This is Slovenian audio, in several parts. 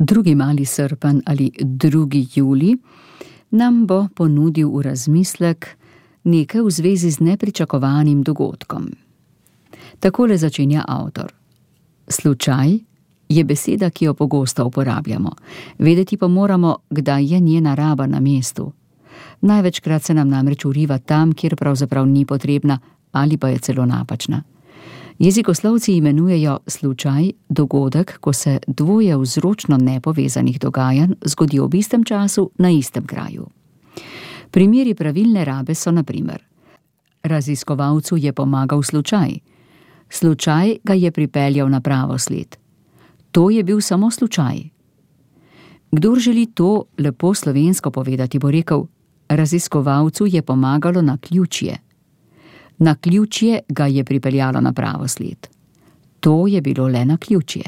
Drugi mali srpen ali 2. julij nam bo ponudil v razmislek nekaj v zvezi z nepričakovanim dogodkom. Takole začenja avtor. Slučaj je beseda, ki jo pogosto uporabljamo. Vedeti pa moramo, kdaj je njena raba na mestu. Največkrat se nam namreč vriva tam, kjer pravzaprav ni potrebna ali pa je celo napačna. Jezikoslovci imenujejo slučaj dogodek, ko se dvoje vzročno nepovezanih dogajanj zgodi ob istem času na istem kraju. Primeri pravilne rabe so na primer: raziskovalcu je pomagal slučaj. Slučaj ga je pripeljal na pravo sled. To je bil samo slučaj. Kdor želi to lepo slovensko povedati, bo rekel: raziskovalcu je pomagalo naključje. Naključje ga je pripeljalo na pravo sled. To je bilo le naključje.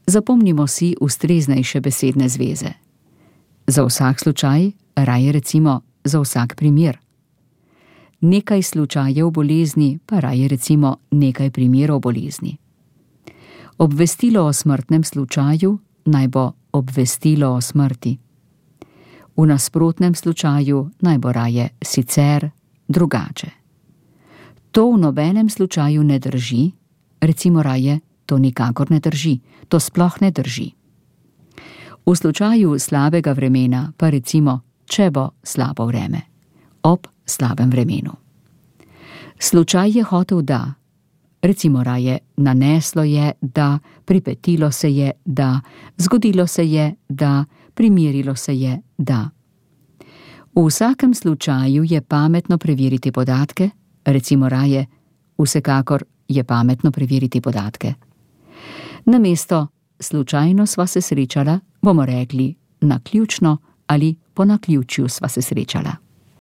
Zapomnimo si ustreznejše besedne zveze. Za vsak slučaj raje recimo za vsak primer. Nekaj slučajev bolezni pa raje recimo nekaj primerov bolezni. Obvestilo o smrtnem slučaju naj bo obvestilo o smrti. V nasprotnem slučaju naj bo raje sicer, drugače. To v nobenem slučaju ne drži, recimo raje to nikakor ne drži, to sploh ne drži. V slučaju slabega vremena pa recimo, če bo slabo vreme, ob slabem vremenu. Slučaj je hotel da, recimo raje naneslo je da, pripetilo se je da, zgodilo se je da, primerilo se je da. V vsakem slučaju je pametno preveriti podatke, recimo raje, vsekakor je pametno preveriti podatke. Namesto slučajno sva se srečala, bomo rekli naključno ali po naključju sva se srečala.